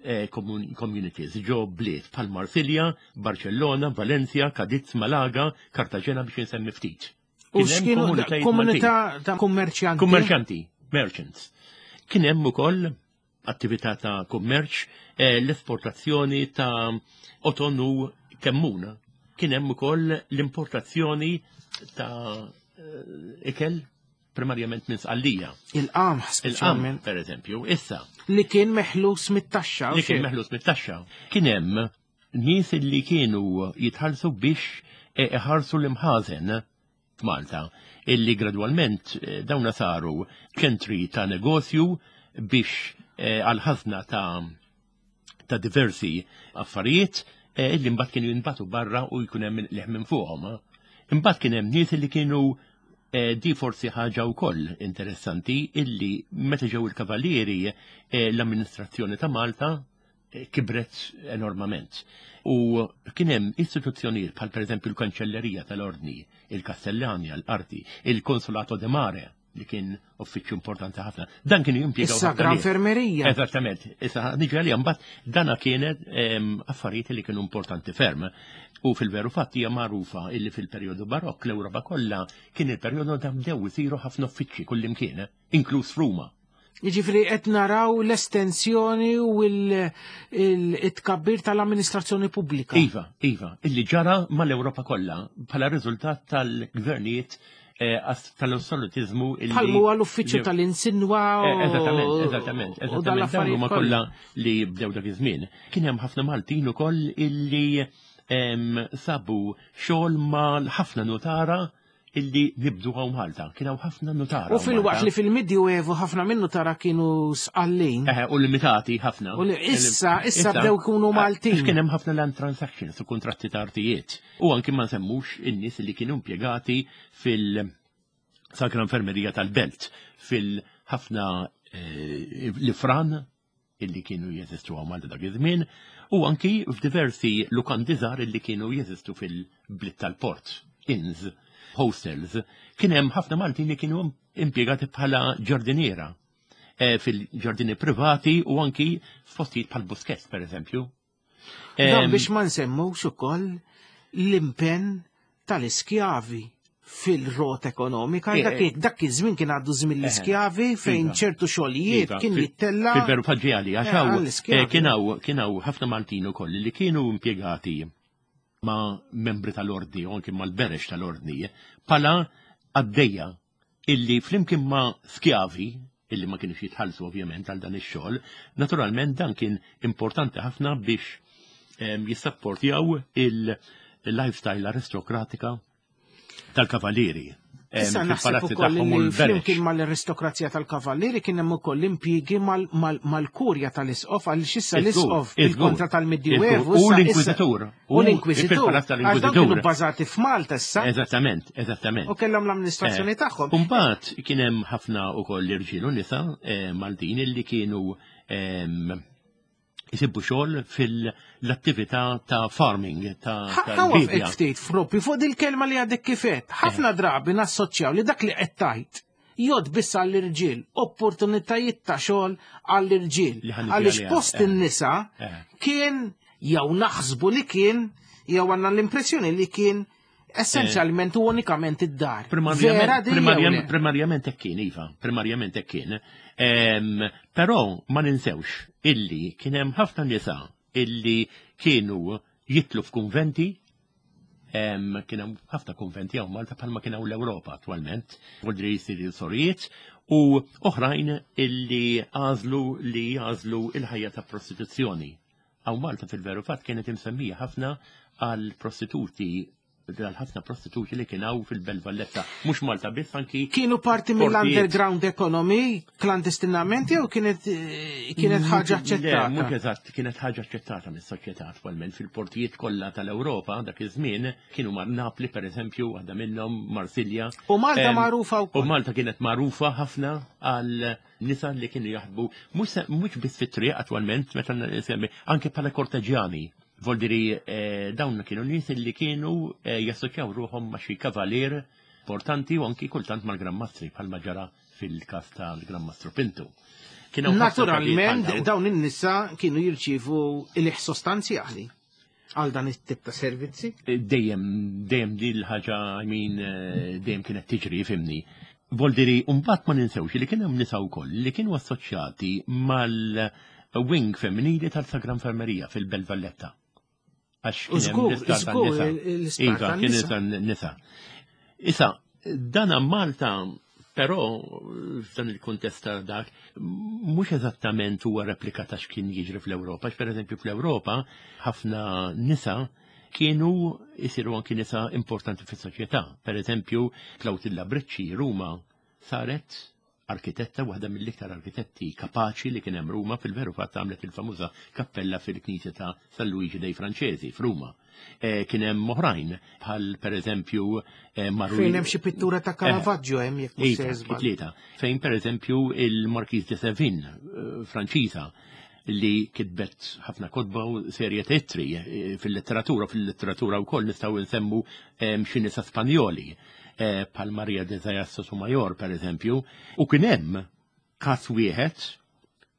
eh, commun- communities ġo bliet bħal Marsilja, Barcellona, Valencia, Cadiz, Malaga, Cartagena, biex insemmi ftit. U Kien hemm x'kienu komunitajiet komunità ta' kummerċjanti. Kummerċanti, merchants. Kien hemm ukoll attività ta' kummerċ, eh, l-esportazzjoni ta' qoton u kemmun. Kien hemm ukoll l-importazzjoni ta' eh, ikel, primarjament minn Sqallija. Il-qamħ Il-qam, speċjalment. per eżempju, issa, Li kien meħlus mit-taxxa. u li kien xejn. meħlus mit-taxxa. Kien hemm nies li kienu jitħallsu biex eh, iħarsu l-imħażen f'Malta, illi gradwalment eh, dawna saru ċentri ta' negozju biex eh, għal-ħazna ta' ta' diversi affarijiet. eh, illi mbagħad kienu jinbagħtu barra u jkun hemm leħ minn fuqhom. Imbagħad kien hemm nies li kienu eh, di forsi ħaġa wkoll interessanti illi meta ġew il-kavallieri eh, l-amministrazzjoni ta' Malta eh, kibret enormament. U kien hemm istituzzjonijiet bħal pereżempju l-Kanċellerija tal-Ordni, il-Kastellanja, l-Arti, il-Konsolato de Mare, li kien uffiċċju importanti ħafna. Dan kienu jimpjegaw Issa ħafna gran nies. fermerija. Eżattament. Issa niġi għalija mbagħad dana kienet em, affarijiet li kienu importanti ferm. U fil-veru fatt hija magħrufa illi fil-perjodu barokk l-Ewropa kollha kien il-perjodu ta' bdew isiru ħafna uffiċċji kullimkien, inkluż f'Ruma. Jiġifieri qed naraw l-estensjoni u il-tkabbir tal-amministrazzjoni pubblika. Iva, iva, illi ġara mal-Ewropa kollha bħala riżultat tal-gvernijiet eh, as- tal-assolutizmu illi. Bħal huwa l-uffiċċju li- tal-insinwa Eh, Eżattament, eżattament, u eżattament. Dawn dal-affarijiet huma kollha. kollha li bdew dak iż-żmien. Kien hemm ħafna Maltin ukoll illi em, sabu xogħol ma' ħafna notara illi nibdu hawn Malta. Kien hawn ħafna notara. U hawn fil-waqt Malta. li fil-Medjuevu ħafna minnu tara kienu sqallin. Eh, u limitati ħafna. U li- issa- issa bdew ikunu Maltin. Għax kien hemm ħafna land transactions u kontratti ta' artijiet. U anki ma nsemmux in-nies li kienu impjegati fil-Sacra Infermerija tal-Belt, fil-ħafna eh, l-ifran illi kienu jeżistu hawn Malta dak iż-żmien, u anki f'diversi lukandi żgħar illi kienu jeżistu fil-bliet tal-port, inns, hostels. Kien hemm ħafna Maltin li kienu impjegati bħala ġardiniera eh, fil-ġardini privati u anki f'postijiet bħal Buskett, per eżempju. Dan Em, biex ma nsemmux ukoll l-impenn tal-iskjavi fil-rot ekonomika. Eh, Dak eh. dak iż-żmien kien għaddu żmien l-iskjavi fejn Iva. ċertu xogħlijiet Iva, kien fil- jittella. Fil-veru faġġiali, għax Eh, hawn, għall-iskjavi. eh, kien hawn kien hawn ħafna Maltin ukoll li kienu impjegati ma' membri tal-ordni u anki mal-berex tal-ordni, bħala għaddejja illi flimkien ma' skjavi, illi ma kienux jitħallsu ovvjament għal dan ix-xogħol, naturalment dan kien importanti ħafna biex em, jissapportjaw il-lifestyle aristokratika tal-kavallieri. Em, Issa naħseb fil-palazzi ukoll tagħhom u li l-berex. flimkien mal-aristokrazija tal-kavallieri kien hemm ukoll impjiegi mal- mal- mal-kurja tal-isqof għaliex issa Iżgur, l-isqof iżgur, bil-kontra tal-Medjuevu. iżgur. U issa- issa- l-Inkwiżitur. U l-Inkwiżitur. fil-palazz Għax dawn tal-Inkwiżitur. kienu bbażati f'Malta issa Eżattament, eżattament. u kellhom l-amministrazzjoni Eh, tagħhom. Imbagħad kien hemm ħafna ukoll irġiel u nisa eh, Maltin illi kienu em, jisibu xogħol fil-attività ta' farming ta' Ħa waqfek tal-bidja. ftit propju fuq dil-kelma li għadek kifet. Ħafna drabi nassoċjaw li dak li qed tgħid jgħodd biss għall-irġiel, opportunitajiet ta' xogħol għall-irġiel. Li ħa niġi Għaliex għaliha, post eh. in-nisa Eh. kien jew naħsbu li kien jew għandna l-impressjoni li kien essenzjalment u unikament id-dar. Vera Primarjament, din jew le? primarjament, primarjament hekk kien, iva, primarjament hekk kien. Em, Però ma ninsewx illi kien hemm ħafna nisa illi kienu jitlu f'kunventi, em, kien hemm ħafna kunventi hawn Malta bħalma kien hawn l-Ewropa attwalment, vuol jsiru sorijiet, u oħrajn illi għażlu li jagħżlu il-ħajja ta' prostituzzjoni. Hawn Malta fil-veru fatt kienet imsemmija ħafna għal prostituti għal ħafna prostituti li kien hawn fil-Belt Valletta. Mhux Malta biss anki Kienu parti portijiet. mill-underground economy klandestinament jew kienet eh, kienet ħaġa Le, aċċettata? mhux eżatt, kienet ħaġa aċċettata mis-soċjetà attwalment fil-portijiet kollha tal-Ewropa dak iż-żmien kienu mar Napli pereżempju, waħda minnhom Marsilja. U Malta Em, magħrufa U wkoll. Malta kienet magħrufa ħafna għal nisa li kienu jaħdmu mhux mhux biss fit-triq attwalment meta nsemmi anke bħala korteġjani. Voldiri eh, dawn kienu nies li kienu eh, jassoċjaw ruħhom ma' xi kavalier importanti u anki kultant mal-Gran Mastri bħalma ġara fil-każ tal-Gran Mastru Pinto. Kien hawn ħafna Naturalment, każijiet bħal dawn. dawn in-nisa kienu jirċievu il sostanzjali għal dan it-tip ta' servizzi. Dejjem, dejjem din l-ħaġa, I mean, eh, dejjem kienet tiġri, fhimni. Voldiri, mbagħad ma ninsewx li kien hemm nisa wkoll li kienu assoċjati mal-wing femminili tal-Sagra Infermerija fil-Belt Valletta. Għax U kien hemm żgur, l-isptar żgur, tan-nisa. l-isptar Iva, kien tan-nisa. tan-nisa. Issa, dana Malta, però, f'dan il-kuntest ta' dak, mhux eżattament huwa replika ta' x'kien jiġri fl-Ewropa. Għax, Per eżempju, fl-Ewropa, ħafna nisa kienu jisiru anki nisa importanti fis-soċjetà. Per eżempju, Clautilla Bricci, Ruma, saret Arkitetta, waħda mill-iktar arkitetti kapaċi li kien hemm Ruma, fil-veru fatt għamlet il-famuża kappella fil-Knisja ta' San Luigi dei Francesi f'Ruma. E, kien hemm oħrajn bħal pereżempju e, Maru. Fejn hemm xi pittura ta' Caravaggio hemm jekk mhux se Tlieta. Fejn pereżempju il-Marquis de Sevin, eh, Franċiża, li kitbet ħafna kotba u serje ta' ittri fil-letteratura, fil-letteratura wkoll nistgħu nsemmu xi nisa Spanjoli bħal Maria de Zayas Sotomayor per eżempju, u kien hemm każ wieħed,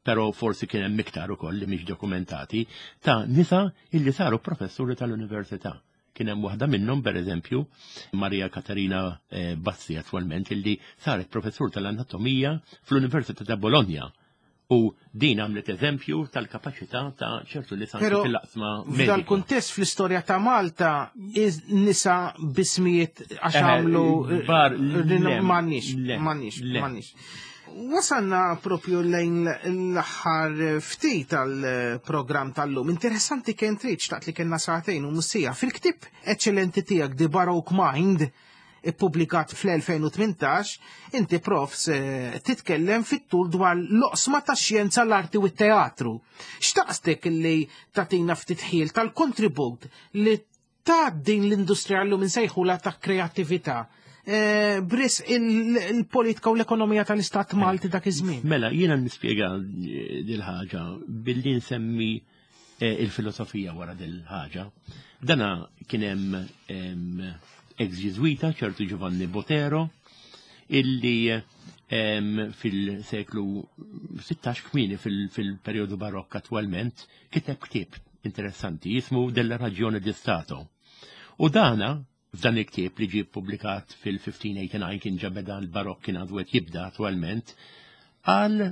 però forsi kien hemm iktar ukoll li mhix dokumentati, ta' nisa illi saru professuri tal-università. Kien hemm waħda minnhom per eżempju, Maria Katarina Bassi attwalment, illi saret professur tal-anatomija fl-Università ta' Bologna. U din għamlet eżempju tal-kapaċità ta' ċertu li sanki fil-laqsma. F'dal kuntest fl-istorja ta' Malta, nisa bismijiet għax għamlu m'għandniex, m'għandniex, m'għandniex. Wasalna propju lejn l-aħħar ftit tal-programm tal-lum. Interessanti kien trid xtaqt li kellna sagħtejn u mussija. Fil-ktieb eċċellenti tiegħek The Baroque Mind, ippubblikat fl-elfejn u tmintax, inti profs titkellem fit-tul dwar l-oqsma ta' xjenza, l-arti u t-teatru. Xtaqstek li tatina ftit ħil tal-kontribut li ta' din l-industrija llum insejħula ta' kreattività bris il-politika u l-ekonomija tal-Istat Malti dak iż-żmien. Mela, jiena nispjega dil-ħaġa billi nsemmi il-filosofija wara dil-ħaġa. Dana kien hemm ex-ġiżwita, ċertu Giovanni Botero, illi fil-seklu sittax kmieni fil-periodu barokk attwalment kiteb ktieb interessanti jismu Della Ragione di Stato. U dana f'dan il-ktieb li ġie ppubblikat fil-fifteen eighty-nine, kien ġa beda l-barokk kien għadu qed jibda attwalment, għal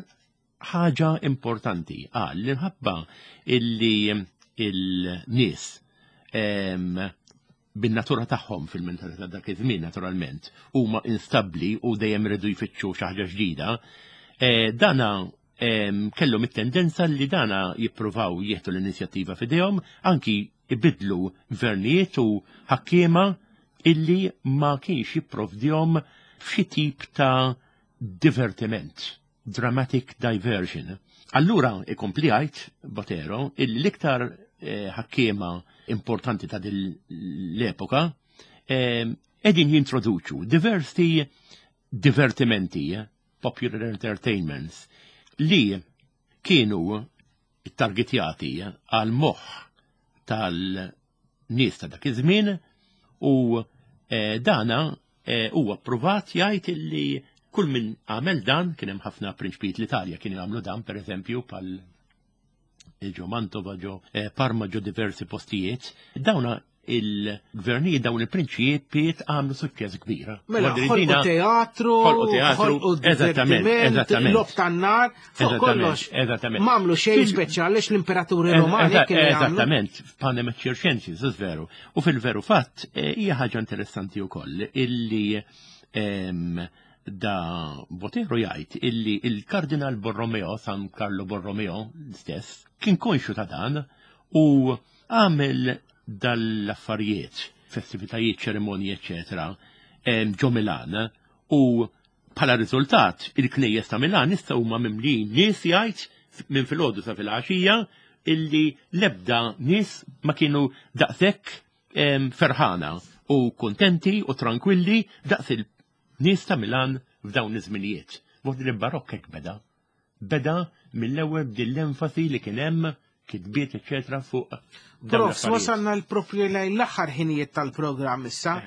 ħaġa importanti, għal li nħabba illi il-nies bin-natura tagħhom fil-mentalità dak iż-żmien naturalment huma instabbli u dejjem iridu jfittxu xi ħaġa ġdida, dana kellhom it-tendenza li dana jippruvaw jieħdu l-inizjattiva f'idejhom, anki ibidlu gvernijiet u ħakkiema illi ma kienx jipprovdihom f'xi tip ta' divertiment, dramatic diversion. Allura ikompli jgħid Botero illi l-iktar ħakkiema importanti ta' din l-epoka qegħdin jintroduċu diversi divertimenti, popular entertainments, li kienu targetjati għal moħħ tal-nies ta' dak iż-żmien, u dana huwa ppruvat jgħid illi kull min għamel dan, kien hemm ħafna prinċpijiet l-Italja kienu jagħmlu dan pereżempju pal ġo Mantova, ġo Parma, ġo diversi postijiet, dawna il-gvernijiet, dawn il-prinċipijiet għamlu suċċess kbir. Mela, ħolqu teatru, ħolqu divertiment, logħob tan-nar, fuq kollox. M'għamlu xejn speċjali l-imperaturi Romani kienu jagħmlu. Eżattament, panem et circenses, veru. U fil-veru fatt hija ħaġa interessanti wkoll illi da Botero jgħid illi il-Kardinal Borromeo, San Carlo Borromeo stess, kien konxu ta' dan u għamel dal-affarijiet, festivitajiet, ċerimonji, eccetera, ġo Milan, u bħala riżultat il-knejjes ta' Milan issa huma mimlijin nies jgħid minn filgħodu sa filgħaxija illi l-ebda nies ma kienu daqshekk ferħana u kontenti u tranquilli daqs il-nies ta' Milan f'dawn iż-żminijiet. Vot li barokk hekk beda. Beda mill-ewwel b'din l-enfasi li kien hemm kitbiet, eccetera, fuq. Prof, wasalna l-propju lejn l-aħħar ħinijiet tal-programm issa.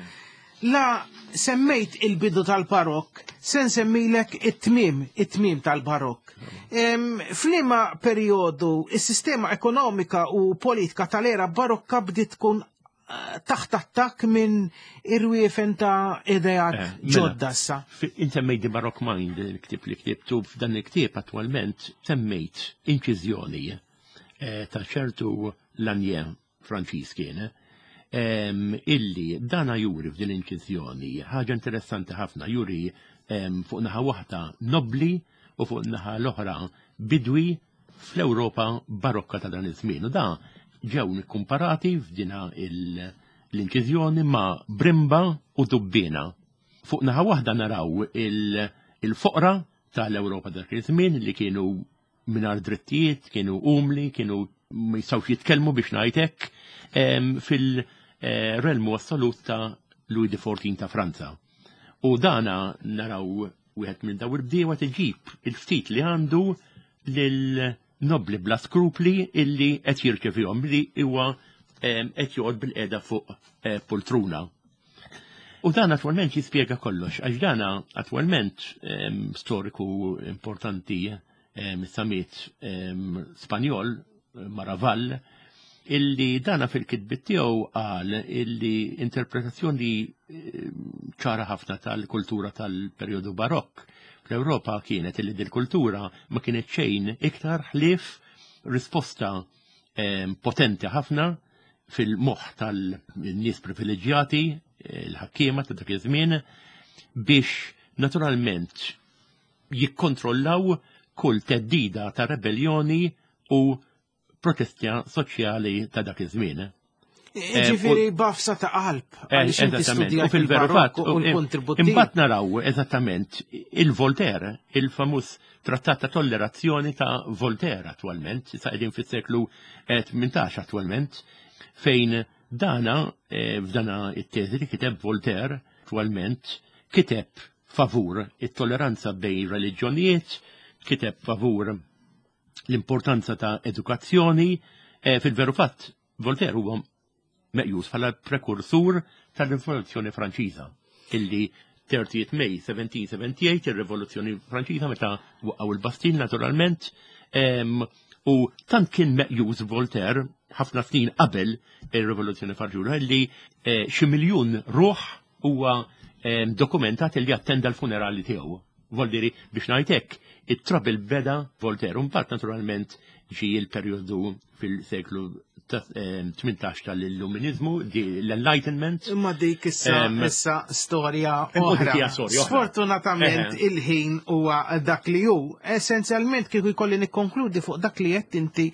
La semmejt il-bidu tal-barokk, se nsemmilek it-tmiem, it-tmiem tal-barokk. F'liema perjodu is-sistema ekonomika u politika tal-era barokka bdiet tkun taħt attakk minn irwiefen ta' ideat ġodda issa. Insemmejt The Baroque Mind, il-ktieb li ktibtu, f'dan il-ktieb attwalment semmejt inċiżjoni ta' ċertu Lanier Franċiż kien, illi dana juri f'din l-inċiżjoni ħaġa interessanti ħafna, juri fuq naħa waħda nobli u fuq naħa l-oħra bidwi fl-Ewropa barokka ta' dan iż-żmien. U da ġew nikkumparati f'dina l-inċiżjoni ma' brimba u dubbina. Fuq naħa waħda naraw il-foqra tal-Ewropa dak iż-żmien li kienu mingħajr drittijiet, kienu umli, kienu ma jistgħux jitkellmu biex ngħid hekk fil-relmu assolut ta' Louis the Fourteenth ta' Franza. U dana naraw wieħed minn daw il-bdiewa tiġib il-ftit li għandu lil nobli bla skrupli illi qed jirċevihom li huwa qed joqgħod bil-qiegħda fuq eh, poltruna. U dan attwalment jispjega kollox, għax dana attwalment storiku importanti samiet Spanjol, Maravall, illi dana fil-kitbit tiegħu qal illi interpretazzjoni ċara ħafna tal-kultura tal-perjodu barokk fl-Ewropa kienet illi dil-kultura ma kienet xejn iktar ħlief risposta potenti ħafna fil-moħħ tal-nies privileġġjati, il-ħakkiema ta' dak iż-żmien, biex naturalment jikkontrollaw kull teddida ta' rebellioni u protestja soċjali ta' dak iż-żmien. Ġifieri b'għafsa ta' qalb. Għaliex inti Eżattament. U fil-veru fatt, u l-kontribut imbagħad naraw eżattament il-Voltaire, il-famuż trattat ta' tollerazzjoni ta' Voltaire attwalment, sa' qegħdin fis-seklu tmintax attwalment, fejn dana eh, f'dana it-teżi li kiteb Voltaire attwalment kiteb favur it-tolleranza bejn reliġjonijiet, kiteb favur l-importanza ta' edukazzjoni, eh, fil-veru fatt Voltaire huwa meqjus bħala prekursur tal-Rivoluzzjoni Franċiża, illi thirtieth May seventeen seventy-eight, ir-Rivoluzzjoni Franċiża meta waqgħu il-Bastille naturalment, em, u tant kien meqjus Voltaire ħafna snin qabel ir-Rivoluzzjoni Franċiża illi eh, xi miljun ruħ huwa em, dokumentat li attenda l-funerali tiegħu. Voldiri biex ngħidlek, it-trouble beda Voltaire. Mbagħad naturalment ġi il-perjodu fil-seklu tmintax tal-Illuminizmu, l-Enlightenment. Imma dik issa Em, issa storja Imma dik oħra. hija storja oħra. Sfortunatament Eħe. il-ħin huwa dak li hu. Essenzjalment kieku jkolli nikkonkludi fuq dak li qed inti,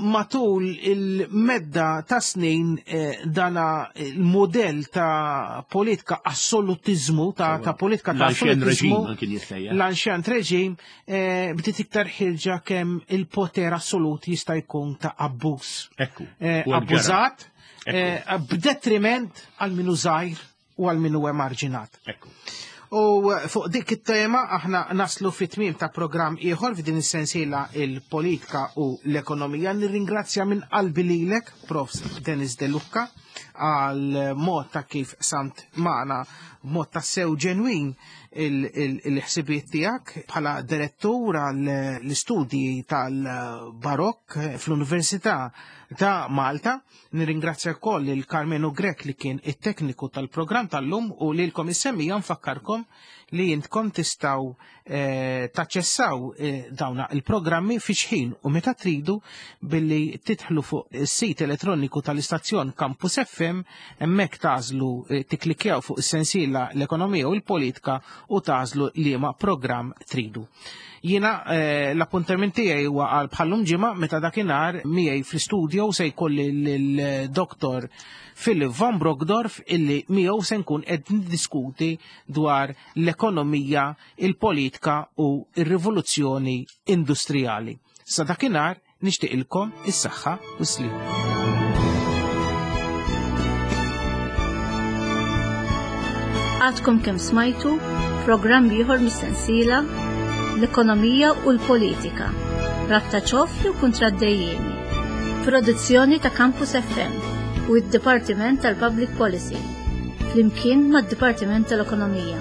matul il-medda ta' snin eh, dana il-modell ta' politika assolutizmu, ta', ta' politika ta' L-ancien assolutizmu, regime kien jissejjaħ. l-ancien regime, eh, bdiet iktar ħirġa kemm il-poter assolut jista' jkun ta' abbuż. Ekku. Eh, U għal ġara. abbużat, eh, b'detriment għal minu żgħir u għal minu emarġinat. Ekku. U fuq dik it-tema aħna naslu fit-tmiem ta' programm ieħor f'din is-sensiela il-politika u l-ekonomija. Nirringrazzja minn qalbi lilek, Profs Dennis De Lucca, għal mod ta' kif samt magħna mod ta' sew ġenwin il-ħsibiet tiegħek bħala direttur għal l-istudji tal-Barokk fl-Università ta' Malta. Nirringrazzja wkoll il Carmenu Grech li kien it-tekniku tal-programm tal-lum u lilkom is-semmiegħa nfakkarkom li intkom tistgħu eh, taċċessaw eh, dawna il-programmi fi xħin u meta tridu billi tidħlu fuq is-sit elettroniku tal-istazzjon Campus F M, hemmhekk tagħżlu eh, tiklikjaw fuq is-sensiela l-ekonomija u l-politika u tagħżlu liema programm tridu. Jiena eh, l-appuntament tiegħi huwa għal bħallum ġimgħa meta dakinhar miegħi fl-istudio se jkolli l-Doktor Philip Van Brockdorff illi miegħu se nkun qed niddiskuti dwar l-ekonomija, il-politika u r-rivoluzzjoni industrijali. Sa dakinhar nixtieqilkom is-saħħa u s-slim. Għadkom kemm smajtu programm ieħor mis-sensiela l-ekonomija u l-politika. Rabta ċoff jew kuntratt dejjiemi. Produzzjoni ta' Campus F M u d-Dipartiment tal-Public Policy. Flimkien mad-Dipartiment tal-Ekonomija.